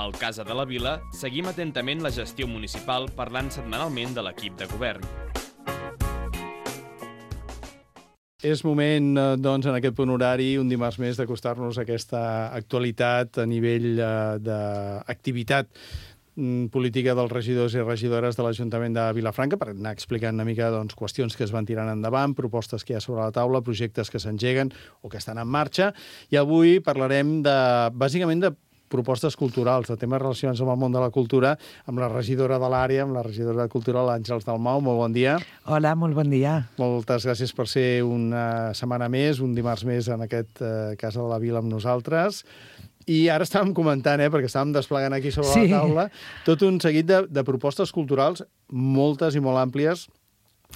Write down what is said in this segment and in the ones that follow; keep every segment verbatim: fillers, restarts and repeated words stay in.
Al Casa de la Vila seguim atentament la gestió municipal parlant setmanalment de l'equip de govern. És moment, doncs, en aquest punt horari, un dimarts més, d'acostar-nos a aquesta actualitat a nivell eh, d'activitat política dels regidors i regidores de l'Ajuntament de Vilafranca per anar explicant una mica doncs, qüestions que es van tirant endavant, propostes que hi ha sobre la taula, projectes que s'engeguen o que estan en marxa. I avui parlarem de, bàsicament, de propostes culturals, de temes relacionats amb el món de la cultura, amb la regidora de l'àrea, amb la regidora de Cultura, l'Àngels Dalmau. Molt bon dia. Hola, molt bon dia. Moltes gràcies per ser una setmana més, un dimarts més en aquest eh, Casa de la Vila amb nosaltres. I ara estàvem comentant, eh, perquè estàvem desplegant aquí sobre sí. la taula, tot un seguit de, de propostes culturals, moltes i molt àmplies,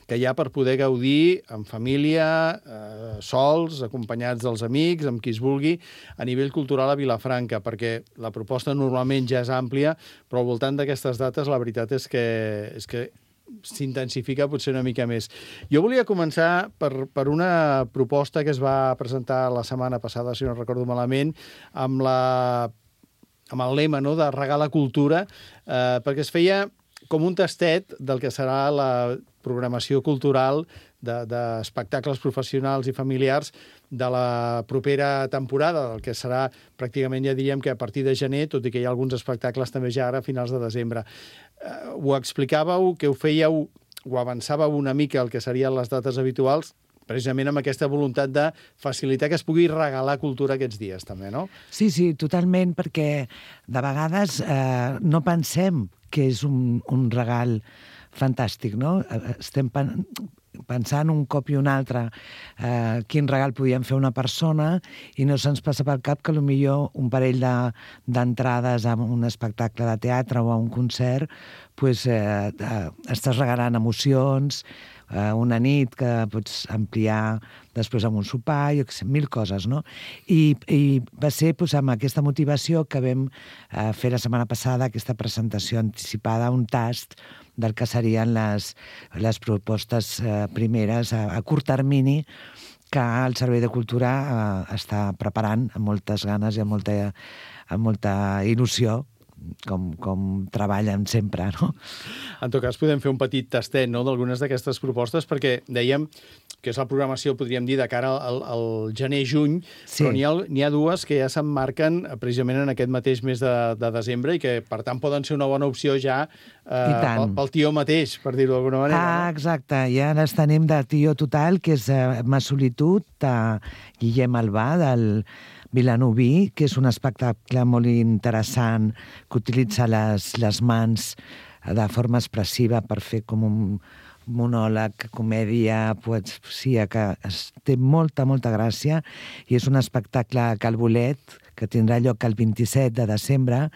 que hi ha per poder gaudir en família, eh, sols, acompanyats dels amics, amb qui es vulgui, a nivell cultural a Vilafranca, perquè la proposta normalment ja és àmplia, però al voltant d'aquestes dates la veritat és que, és que s'intensifica potser una mica més. Jo volia començar per, per una proposta que es va presentar la setmana passada, si no recordo malament, amb, la, amb el lema, no?, de regar la cultura, eh, perquè es feia com un tastet del que serà la programació cultural d'espectacles de, professionals i familiars de la propera temporada, del que serà pràcticament, ja diríem que a partir de gener, tot i que hi ha alguns espectacles també ja ara a finals de desembre. Uh, ho explicàveu, que ho fèieu, ho avançàveu una mica el que serien les dates habituals, precisament amb aquesta voluntat de facilitar que es pugui regalar cultura aquests dies, també, no? Sí, sí, totalment, perquè de vegades eh, no pensem que és un, un regal fantàstic, no? Estem pen pensant un cop i un altre eh, quin regal podíem fer a una persona i no se'ns passa pel cap que potser un parell d'entrades de, a un espectacle de teatre o a un concert pues, eh, eh, estàs regalant emocions, eh, una nit que pots ampliar després amb un sopar, jo què sé, mil coses, no? I, i va ser pues, amb aquesta motivació que vam eh, fer la setmana passada aquesta presentació anticipada, un tast del que serien les, les propostes eh, primeres a, a curt termini que el Servei de Cultura eh, està preparant amb moltes ganes i amb molta, amb molta il·lusió, com, com treballen sempre, no? En tot cas, podem fer un petit tastet, no?, d'algunes d'aquestes propostes, perquè dèiem que és la programació, podríem dir, de cara al, al gener-juny, sí. Però n'hi ha, n'hi ha dues que ja s'emmarquen precisament en aquest mateix mes de, de desembre i que, per tant, poden ser una bona opció ja eh, pel, pel tio mateix, per dir-ho d'alguna manera. Ah, no? Exacte. Ja les tenim de tio total, que és eh, Ma solitud, de Guillem Albà, del Vilanoví, que és un espectacle molt interessant que utilitza les, les mans de forma expressiva per fer com un monòleg, comèdia, poesia, que té molta, molta gràcia, i és un espectacle a Cal Bolet, que tindrà lloc el vint-i-set de desembre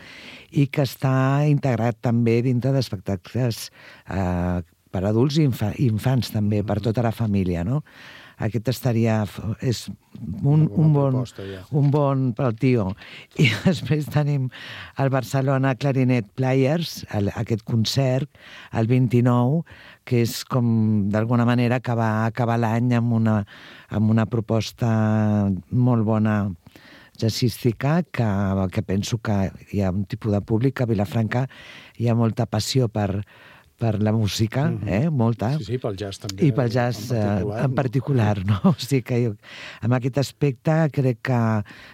i que està integrat també dintre d'espectacles eh, per adults i infa infants també, per tota la família, no? Aquest estaria... és un, un, bon, proposta, ja. un bon pel tio. I després tenim el Barcelona Clarinet Players, el, aquest concert, el vint-i-nou, que és com, d'alguna manera, acabar, acabar l'any amb, una, amb una proposta molt bona jazzística, que, que penso que hi ha un tipus de públic, a Vilafranca hi ha molta passió per... per la música, mm-hmm. eh? Molta. Sí, sí, pel jazz també. I pel jazz en particular, en particular no? no? O sigui que jo, en aquest aspecte crec que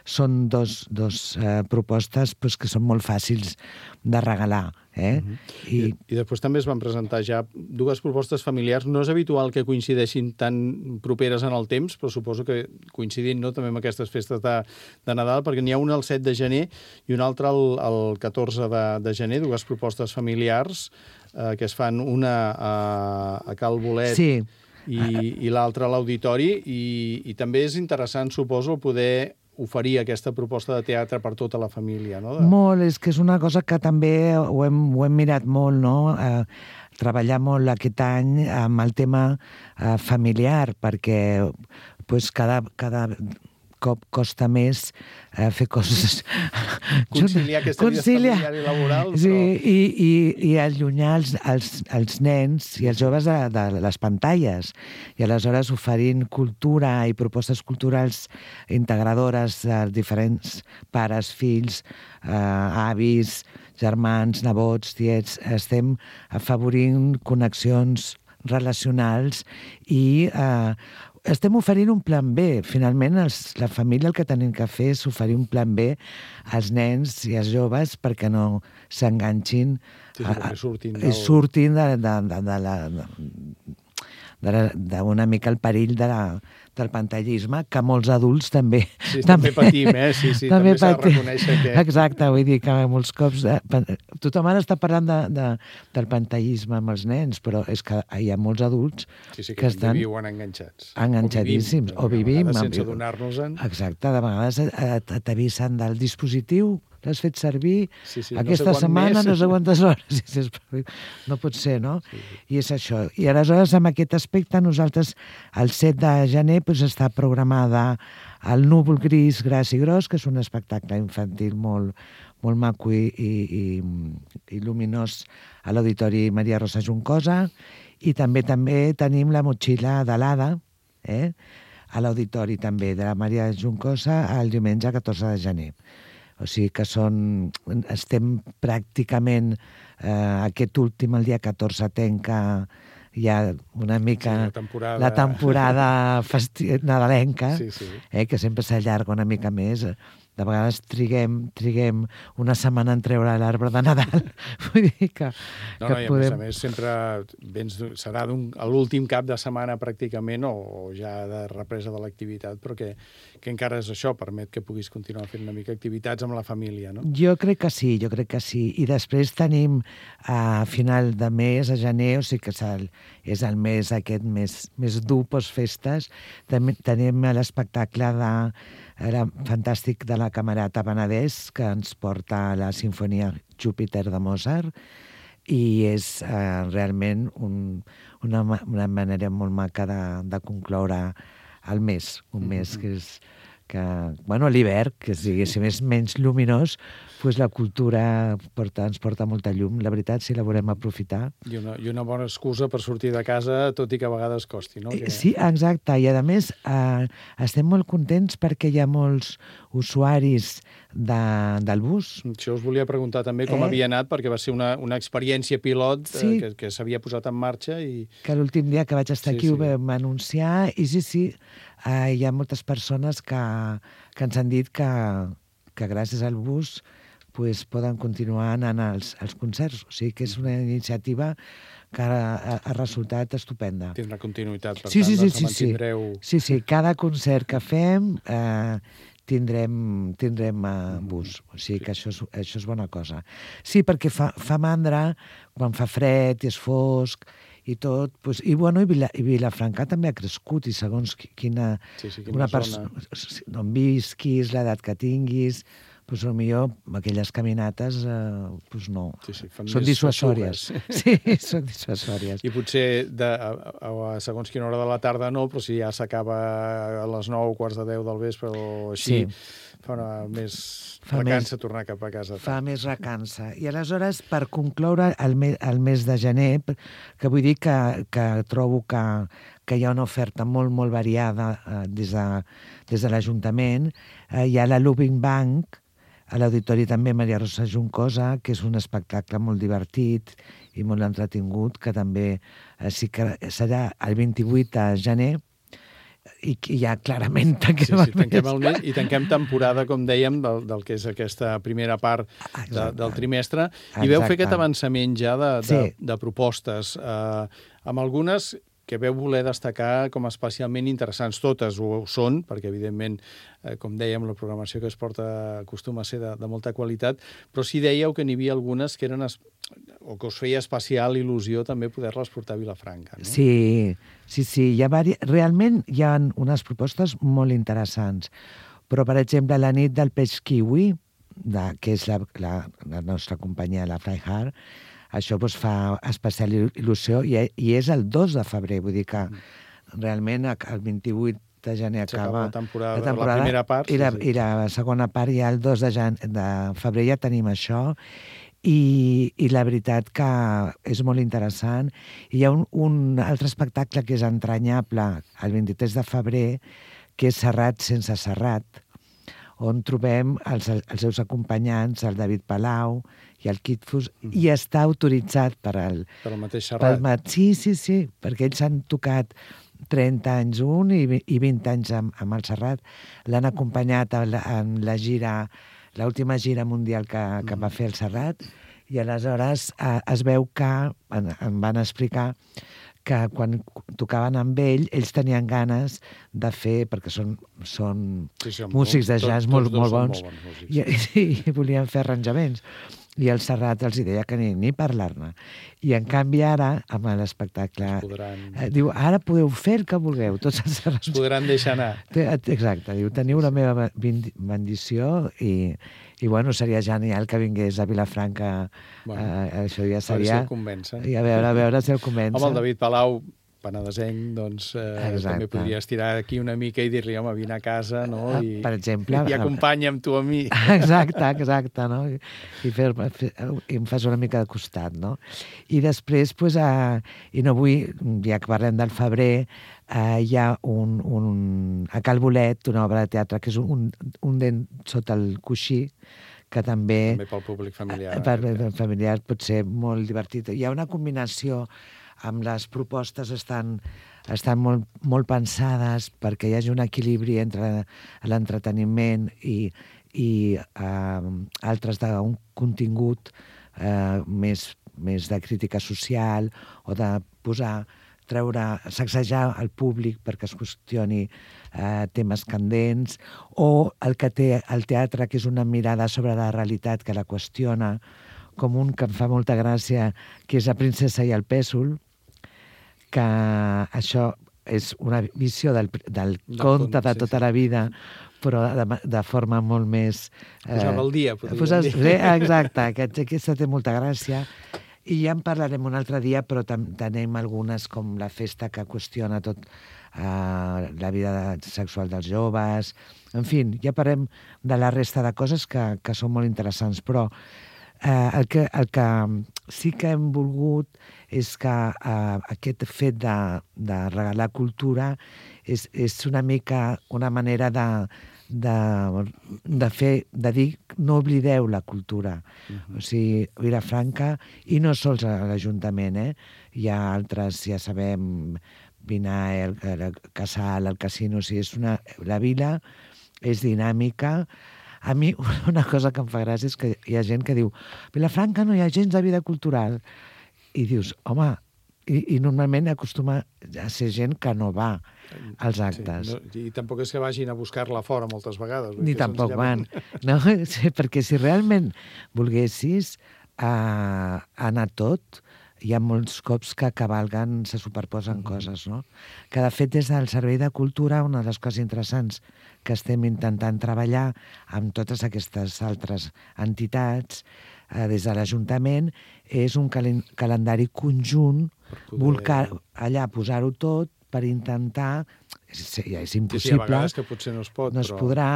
són dos, dos eh, propostes pues, que són molt fàcils de regalar. Eh? Mm-hmm. I... I, I després també es van presentar ja dues propostes familiars. No és habitual que coincideixin tan properes en el temps, però suposo que coincidint, no?, també amb aquestes festes de, de Nadal, perquè n'hi ha una el set de gener i una altra el, el catorze de, de gener, dues propostes familiars eh, que es fan una a, a Cal Bolet sí. i, i l'altra a l'Auditori, i, i també és interessant, suposo, poder oferir aquesta proposta de teatre per tota la família, no? De... Molt, és que és una cosa que també ho hem, ho hem mirat molt, no? Eh, treballar molt aquest any amb el tema eh, familiar, perquè pues, cada, cada, cop costa més eh, fer coses... Conciliar aquesta vida familiar i laboral, però... Sí, i, i, i allunyar els, els, els nens i els joves de, de les pantalles. I aleshores oferint cultura i propostes culturals integradores de diferents pares, fills, eh, avis, germans, nebots, tiets, estem afavorint connexions relacionals i eh, estem oferint un plan B. Finalment, els, la família el que tenim que fer és oferir un plan B als nens i als joves perquè no s'enganxin sí, sí, a, surtin, i del... surtin de, de, de, de la... d'una mica el perill de la, del pantallisme, que molts adults també... Sí, també, també patim, eh? Sí, sí, també, també s'ha de reconèixer que... Exacte, vull dir que molts cops... Eh, tothom ara està parlant de, de, del pantallisme amb els nens, però és que hi ha molts adults sí, sí, que, que estan... viuen enganxats. Enganxadíssims, o vivim... O vivim sense adonar-nos-en. Exacte, de vegades t'avisen del dispositiu, l'has fet servir sí, sí, aquesta no sé setmana, més. no sé quantes hores. No pot ser, no? Sí. I és això. I aleshores, amb aquest aspecte, nosaltres, el set de gener, doncs, està programada el Núvol Gris, Gras i Gros, que és un espectacle infantil molt, molt maco i, i, i, i luminós a l'Auditori Maria Rosa Juncosa. I també també tenim la motxilla de l'Ada, eh? a l'Auditori també de la Maria Juncosa el diumenge catorze de gener. O sigui que són, estem pràcticament eh, aquest últim, el dia catorze, tenca ja una mica sí, la temporada, la temporada festi... nadalenca, sí, sí. Eh, que sempre s'allarga una mica més. De vegades triguem, triguem una setmana en treure l'arbre de Nadal. Vull dir que, no, que no, i podem... a més a més sempre vens, serà l'últim cap de setmana pràcticament o, o ja de represa de l'activitat, però que, que encara és això, permet que puguis continuar fent una mica activitats amb la família, no? Jo crec que sí, jo crec que sí. I després tenim a final de mes, a gener, o sigui que és el, és el mes aquest més, més dur postfestes, també tenim l'espectacle de era fantàstic de la Camerata Penedès, que ens porta a la Sinfonia Júpiter de Mozart, i és eh, realment un, una, una manera molt maca de, de concloure el mes, un mes que és que, bueno, l'hivern, que diguéssim, és menys lluminós, doncs la cultura porta, ens porta molta llum. La veritat, si la volem aprofitar. I una, I una bona excusa per sortir de casa, tot i que a vegades costi, no? Que... Sí, exacte. I, a més, eh, estem molt contents perquè hi ha molts usuaris de, del bus. Això us volia preguntar també com eh? havia anat, perquè va ser una, una experiència pilot sí. eh, que, que s'havia posat en marxa. I... Que l'últim dia que vaig estar sí, aquí sí. ho vam anunciar, i sí, sí, eh, hi ha moltes persones que, que ens han dit que, que gràcies al bus pues, poden continuar anant als, als concerts. O sigui que és una iniciativa que ha, ha resultat estupenda. Tindrà continuïtat, per sí, tant, sí, doncs sí, mantindreu... Sí, sí, cada concert que fem eh, tindrem, tindrem eh, bus. O sigui que això és, això és bona cosa. Sí, perquè fa, fa mandra quan fa fred i és fosc i tot, pues, i, bueno, i, Vila, i Vilafranca també ha crescut, i segons quina, sí, sí, quina persona, on visquis, l'edat que tinguis, pues, potser aquelles caminates eh, pues no, sí, sí, són dissuasòries. Sí, són dissuasòries. I potser de, a, a, a segons quina hora de la tarda no, però si ja s'acaba a les nou, quarts de deu del vespre o així, sí. fa una més fa recança més, tornar cap a casa. Fa més recança. I aleshores, per concloure el, me, el mes de gener, que vull dir que, que trobo que, que hi ha una oferta molt, molt variada eh, des de, des de l'Ajuntament, eh, hi ha la Loving Bank, a l'Auditori també Maria Rosa Juncosa, que és un espectacle molt divertit i molt entretingut, que també eh, sí que serà el vint-i-vuit de gener, i que ja clarament tanquem, sí, sí, tanquem el mes. I tanquem temporada, com dèiem, del, del que és aquesta primera part de, del trimestre. I veu fer aquest avançament ja de, de, sí. de propostes, eh, amb algunes que veu voler destacar com especialment interessants. Totes ho són, perquè, evidentment, eh, com dèiem, la programació que es porta acostuma a ser de, de molta qualitat, però sí dèieu que n'hi havia algunes que eren es, o que us feia especial il·lusió també poder-les portar a Vilafranca, no? Sí, sí, sí. Hi ha vari... Realment hi ha unes propostes molt interessants, però, per exemple, la nit del peix kiwi, de, que és la, la, la nostra companyia, la Freiheit, això doncs, fa especial il·lusió i, i és el dos de febrer, vull dir que realment el vint-i-vuit de gener acaba la temporada, la, temporada, la primera part. I la, sí, sí. I la segona part ja el dos de, jan, de febrer ja tenim això. I, i la veritat que és molt interessant. I hi ha un, un altre espectacle que és entranyable el vint-i-tres de febrer, que és Serrat sense Serrat, on trobem els, els seus acompanyants, el David Palau i el Kitfus, mm. i està autoritzat per el... Per el mateix Serrat. Pel, sí, sí, sí, perquè ells han tocat trenta anys un i, i vint anys amb, amb el Serrat. L'han acompanyat en la, en la gira, l'última gira mundial que, que mm. va fer el Serrat, i aleshores eh, es veu que, en, em van explicar, que quan tocaven amb ell, ells tenien ganes de fer, perquè són, són sí, sí, músics de jazz tot, molt, molt bons, molt bons músics, i, sí. i volien fer arranjaments. I el Serrat els deia que ni, ni parlar-ne. I en canvi ara, amb l'espectacle, podran... eh, diu, ara podeu fer el que vulgueu, tots els serrats. Es podran deixar anar. Exacte, diu, teniu la meva bendició i, i bueno, seria genial que vingués a Vilafranca. Bueno, eh, això ja seria... A veure si el convencen. I a veure, a veure si el convencen. Home, el David Palau, penedesenc, doncs eh, també podria estirar aquí una mica i dir-li, home, vine a casa, no? I, per exemple... I acompanya'm tu a mi. Exacte, exacte, no? I, i, fer, fer, i em fas una mica de costat, no? I després, pues, eh, i no vull, ja que parlem del febrer, eh, hi ha un, un, a Cal Bolet, una obra de teatre que és un, un dent sota el coixí, que també... També pel públic familiar. Per, per familiar pot ser molt divertit. Hi ha una combinació amb les propostes estan, estan molt, molt pensades perquè hi hagi un equilibri entre l'entreteniment i, i eh, altres d'un contingut eh, més, més de crítica social o de posar, treure, sacsejar el públic perquè es qüestioni eh, temes candents, o el que té el teatre, que és una mirada sobre la realitat que la qüestiona, com un que em fa molta gràcia, que és La princesa i el pèsol, que això és una visió del, del conte de tota la vida, però de, de forma molt més... Eh, posar al dia, podríem posar, dir. Exacte, aquest, aquesta té molta gràcia. I ja en parlarem un altre dia, però tenim algunes, com la festa que qüestiona tot eh, la vida sexual dels joves. En fi, ja parlem de la resta de coses que, que són molt interessants, però eh, el, que, el que sí que hem volgut és que eh, aquest fet de, de regalar cultura és, és una mica una manera de, de, de fer, de dir no oblideu la cultura. Uh-huh. O sigui, Vilafranca, i no sols a l'Ajuntament, eh? Hi ha altres, ja sabem, Vinaer, el, el Casal, el Casino, o sigui, és una, la vila és dinàmica. A mi una cosa que em fa gràcia és que hi ha gent que diu Vilafranca no hi ha gens de vida cultural. I dius, home, i, i normalment acostuma a ser gent que no va als actes. Sí, no, i tampoc és que vagin a buscar-la fora moltes vegades. Ni tampoc van. No, sí, perquè si realment volguessis uh, anar tot, hi ha molts cops que cavalguen, se superposen mm-hmm. coses, no? Que, de fet, des del Servei de Cultura, una de les coses interessants que estem intentant treballar amb totes aquestes altres entitats, eh, des de l'Ajuntament, és un cal calendari conjunt, poder... volcar allà posar-ho tot per intentar... És, ja és impossible. Sí, sí, a vegades que potser no es pot, no es però... podrà,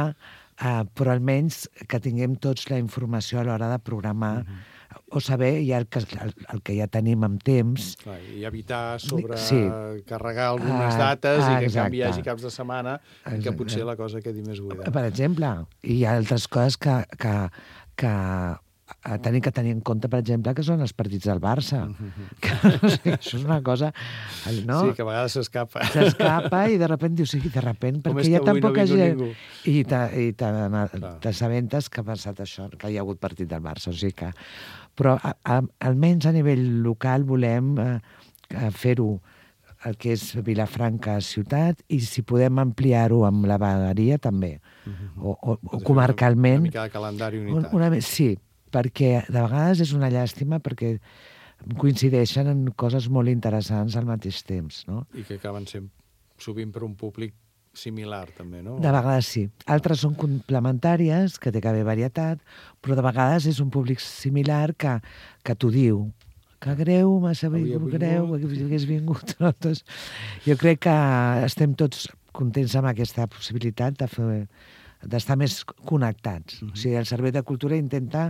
eh, però almenys que tinguem tots la informació a l'hora de programar mm-hmm. o saber ja el que, el, el que ja tenim amb temps. Clar, i evitar sobre sí. carregar algunes ah, dates ah, i que en exacte. canvi hi hagi caps de setmana en què potser la cosa quedi més buida. Per exemple, hi ha altres coses que, que, que tenim que tenir en compte, per exemple, que són els partits del Barça. Mm-hmm. Que, no sé, això és una cosa... No? Sí, que a vegades s'escapa. S'escapa i de sobte dius, sí, de sobte, perquè hi ha tan poca no gent... Ningú. I t'assabentes que ha passat això, que hi ha hagut partit del Barça. O sigui que... Però a, a, almenys a nivell local volem eh, fer-ho el que és Vilafranca ciutat, i si podem ampliar-ho amb la vegueria també, mm-hmm. o, o, o comarcalment. Una mica de calendari unitat. Una, una, sí, perquè de vegades és una llàstima perquè coincideixen en coses molt interessants al mateix temps, no? I que acaben sent sovint per un públic similar, també, no? De vegades sí. Altres són complementàries, que té que haver varietat, però de vegades és un públic similar que, que t'ho diu. Que greu, massa greu, que hagués vingut. No? Doncs, jo crec que estem tots contents amb aquesta possibilitat de fer d'estar més connectats. Mm-hmm. O sigui, el Servei de Cultura intenta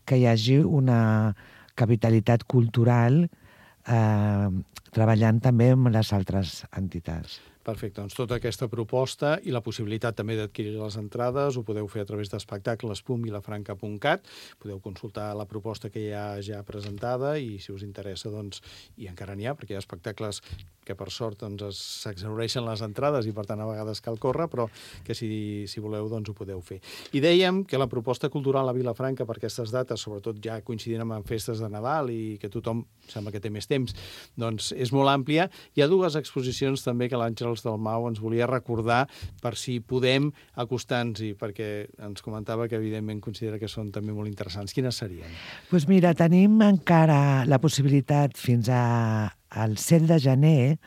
que hi hagi una capitalitat cultural eh, treballant també amb les altres entitats. Perfecte, doncs tota aquesta proposta i la possibilitat també d'adquirir les entrades ho podeu fer a través d'espectacles punt vilafranca punt cat. Podeu consultar la proposta que hi ha ja presentada i si us interessa, doncs, i encara n'hi ha, perquè hi ha espectacles que per sort doncs, s'exhaureixen les entrades i per tant a vegades cal córrer, però que si, si voleu doncs ho podeu fer. I dèiem que la proposta cultural a Vilafranca per aquestes dates, sobretot ja coincidint amb festes de Nadal i que tothom sembla que té més temps, doncs és molt àmplia. Hi ha dues exposicions també que l'Àngels Dalmau ens volia recordar per si podem acostar-nos-hi, perquè ens comentava que evidentment considera que són també molt interessants. Quines serien? Doncs pues mira, tenim encara la possibilitat fins a, al set de gener,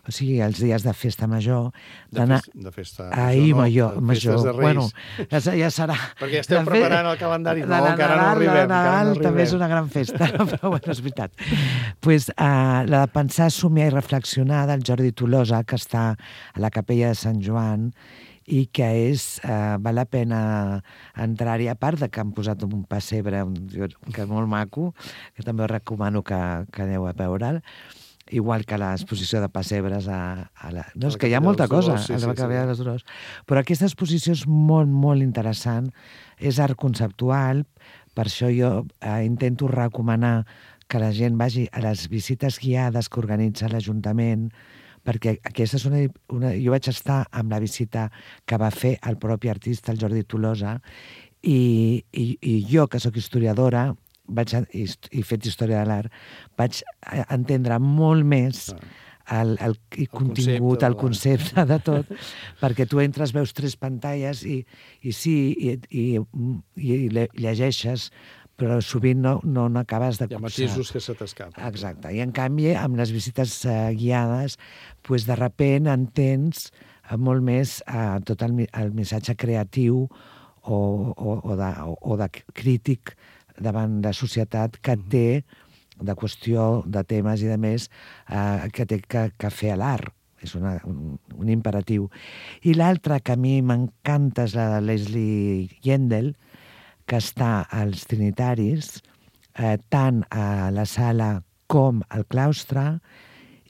o sigui, els dies de festa major, d'anar... De, de festa major, Ahir, no? major, De major. Festes de Reis. Bueno, ja, ja serà... Perquè esteu preparant el calendari, no, la, encara Nadal, no arribem. La Nadal no també és una gran festa, no? Però bueno, és veritat. Pues, uh, la de pensar, somiar i reflexionar del Jordi Tolosa, que està a la capella de Sant Joan, i que és, uh, val la pena entrar-hi, a part de que han posat un pessebre un, que és molt maco, que també us recomano que, que aneu a veure'l, igual que l'exposició de pessebres a, a la... No, és que hi ha molta cosa sí, a la sí, Capella sí. de les Dolors. Però aquesta exposició és molt, molt interessant. És art conceptual, per això jo eh, intento recomanar que la gent vagi a les visites guiades que organitza l'Ajuntament, perquè aquesta és una, una... Jo vaig estar amb la visita que va fer el propi artista, el Jordi Tolosa, i, i, i jo, que sóc historiadora, vaig a, i, i fet història de l'art, vaig entendre molt més el, el, el contingut, el concepte de tot, perquè tu entres, veus tres pantalles i, i sí, i, i, i llegeixes, però sovint no, no n'acabes de copsar. Hi ha matisos que se t'escapen. Exacte. I en canvi, amb les visites uh, guiades, pues, de repent entens uh, molt més uh, tot el, el missatge creatiu o, o, o, de, o, o de crític davant la societat que té, de qüestió de temes i de més, eh, que té que, que fer a l'art. És una, un, un imperatiu. I l'altra que a mi m'encanta és la de Leslie Yendel, que està als Trinitaris, eh, tant a la sala com al claustre,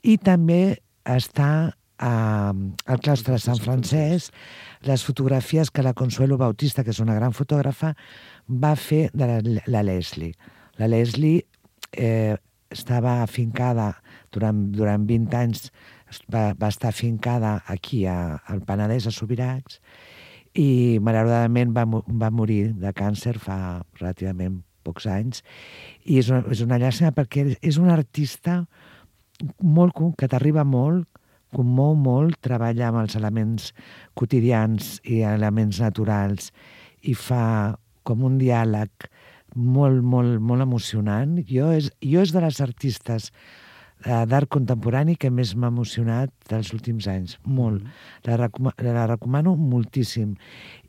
i també està a, al claustre de Sant Francesc, les fotografies que la Consuelo Bautista, que és una gran fotògrafa, va fer de la, la Leslie. La Leslie eh, estava afincada durant, durant vint anys, va, va estar afincada aquí a, al Penedès, a Subirats, i malauradament va, va morir de càncer fa relativament pocs anys. I és una, és una llàstima perquè és un artista molt, que t'arriba molt, commou molt, treballa amb els elements quotidians i elements naturals i fa com un diàleg molt, molt, molt emocionant. Jo és, jo és de les artistes eh, d'art contemporani que més m'ha emocionat dels últims anys. Molt. Mm. La, recoma, la recomano moltíssim.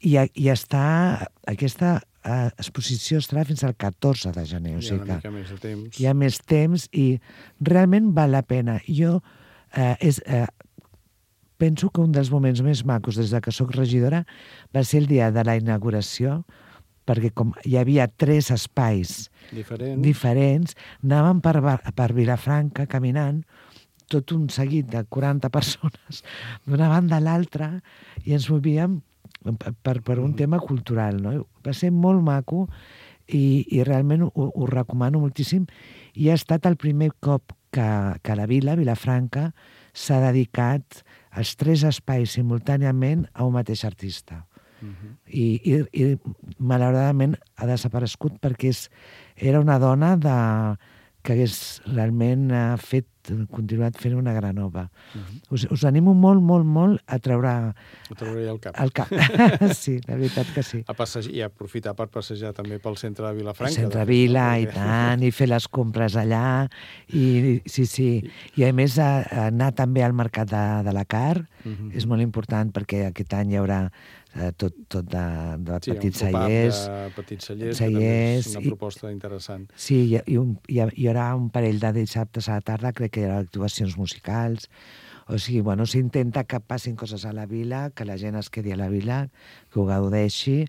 I, i està... Aquesta eh, exposició estarà fins al catorze de gener. O sigui hi ha una mica més de temps. Hi ha més temps i realment val la pena. Jo eh, és... Eh, penso que un dels moments més macos des de que sóc regidora va ser el dia de la inauguració, perquè com hi havia tres espais diferents, diferents anàvem per, per Vilafranca caminant, tot un seguit de quaranta persones d'una banda a l'altra, i ens movíem per, per un tema cultural. No? Va ser molt maco i, i realment ho, ho recomano moltíssim, i ha estat el primer cop que, que la vila, Vilafranca, s'ha dedicat els tres espais simultàniament a un mateix artista. Uh-huh. I, i, i malauradament ha desaparegut perquè és, era una dona de, que hagués realment fet, continuat fent una gran obra. Uh-huh. Us, us animo molt, molt, molt a treure... A treure el cap. El cap. Sí, la veritat que sí. A passejar, i a aprofitar per passejar també pel centre de Vilafranca. El centre de Vila, no? I tant, i fer les compres allà, i sí, sí. I a més a, a anar també al mercat de, de la Car, uh-huh. És molt important perquè aquest any hi haurà eh, tot, tot de, de sí, petits un cellers. De petits cellers, cellers, que també és una i, proposta interessant. Sí, i, i, un, hi, hi haurà un parell de dissabtes a la tarda, crec que hi haurà actuacions musicals. O O sigui, bueno, s'intenta que passin coses a la vila, que la gent es quedi a la vila, que ho gaudeixi,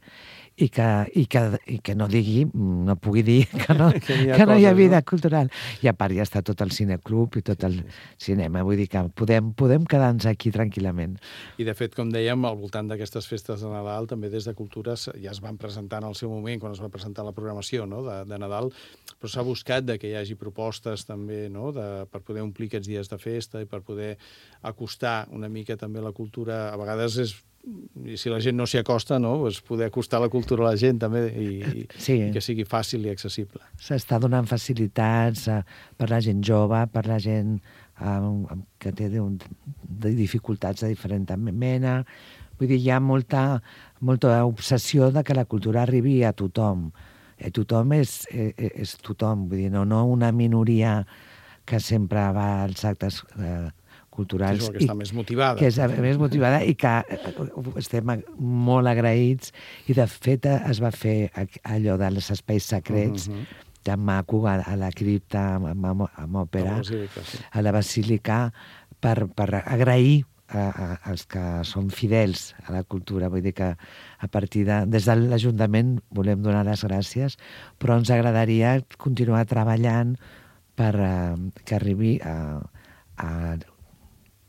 i que, i que, i que no digui, no pugui dir que no, que, hi ha, que no hi ha vida no? cultural. I a part ja està tot el cineclub i tot el cinema. Vull dir que podem, podem quedar-nos aquí tranquil·lament. I de fet, com dèiem, al voltant d'aquestes festes de Nadal, també des de Cultures ja es van presentar en el seu moment, quan es va presentar la programació no? de, de Nadal, però s'ha buscat de que hi hagi propostes també no? de, per poder omplir aquests dies de festa i per poder acostar una mica també la cultura. A vegades és i si la gent no s'hi acosta, no? Pues poder acostar la cultura a la gent també i, sí. i que sigui fàcil i accessible. S'està donant facilitats uh, per la gent jove, per la gent uh, que té de, de dificultats de diferent mena. Vull dir, hi ha molta, molta obsessió de que la cultura arribi a tothom. I tothom és, és, és tothom, vull dir, no, no una minoria que sempre va als actes uh, culturals. Que és que està més motivada. Que és més motivada i que estem molt agraïts. I, de fet, es va fer allò dels espais secrets, uh -huh. tan maco, a, a la cripta, amb, amb òpera, a la basílica, sí. a la basílica per, per agrair a, a, als que són fidels a la cultura. Vull dir que a partir de... Des de l'Ajuntament volem donar les gràcies, però ens agradaria continuar treballant per uh, que arribi a... a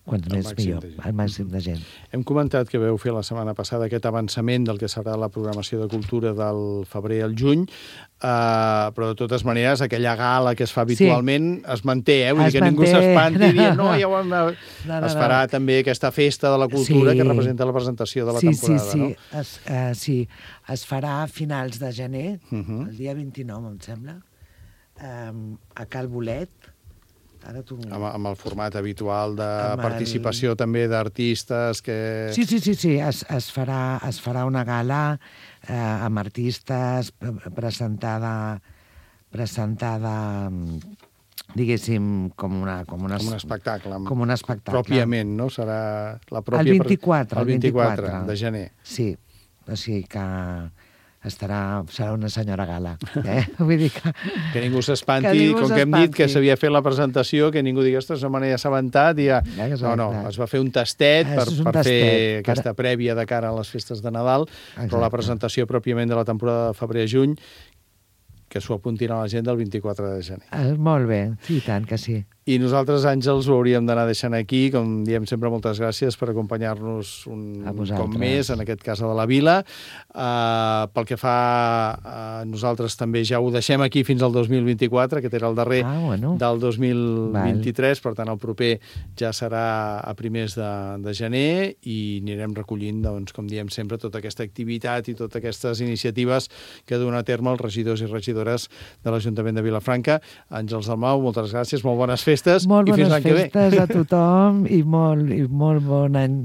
quants més millor, el màxim de gent. Hem comentat que veu fer la setmana passada aquest avançament del que serà la programació de cultura del febrer al juny, uh, però de totes maneres aquella gala que es fa habitualment sí. es manté, eh? Vull es dir que manté. Ningú s'espanti dient no, ja ho hem... No, no, es farà no. també aquesta festa de la cultura sí. que representa la presentació de la sí, temporada, sí, sí. no? Es, uh, sí, es farà a finals de gener, uh -huh. el dia vint-i-nou, em sembla, um, a Cal Bolet. Ara tu... amb, amb el format habitual de amb participació el... també d'artistes que... Sí, sí, sí, sí. Es, es, farà, es farà una gala eh, amb artistes presentada presentada diguéssim com, una, com, una, com un espectacle com un espectacle pròpiament, no? Serà la pròpia... el vint-i-quatre, el vint-i-quatre de gener. Sí, o sigui que estarà, serà una senyora gala. Eh? Vull dir que... Que ningú s'espanti, com que hem dit que s'havia fet la presentació, que ningú digui, ostres, no me n'he assabentat, i ja... No, no, es va fer un tastet per, per tastet, fer per... aquesta prèvia de cara a les festes de Nadal, exacte. Però la presentació pròpiament de la temporada de febrer a juny, que s'ho apuntin a l'agenda el vint-i-quatre de gener. Ah, molt bé, sí, tant que sí. I nosaltres, Àngels, ho hauríem d'anar deixant aquí. Com diem sempre, moltes gràcies per acompanyar-nos un cop més, en aquest cas a de la Vila. Uh, pel que fa a nosaltres també ja ho deixem aquí fins al dos mil vint-i-quatre, que era el darrer ah, bueno. del dos mil vint-i-tres, Val. Per tant el proper ja serà a primers de, de gener i anirem recollint, doncs, com diem sempre, tota aquesta activitat i totes aquestes iniciatives que duen a terme els regidors i regidores de l'Ajuntament de Vilafranca. Àngels Dalmau, moltes gràcies, molt bones festes. Molt i fins bones festes a tothom i molt, i molt bon any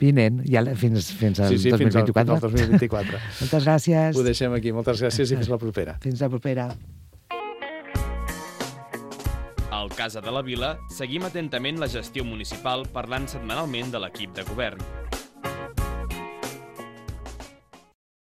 vinent, ja fins, fins al sí, sí, dos mil Fins vint-i-quatre. al dos mil vint-i-quatre. Moltes gràcies. Ho deixem aquí. Moltes gràcies i fins la propera. Fins la propera. Al Casa de la Vila seguim atentament la gestió municipal parlant setmanalment de l'equip de govern.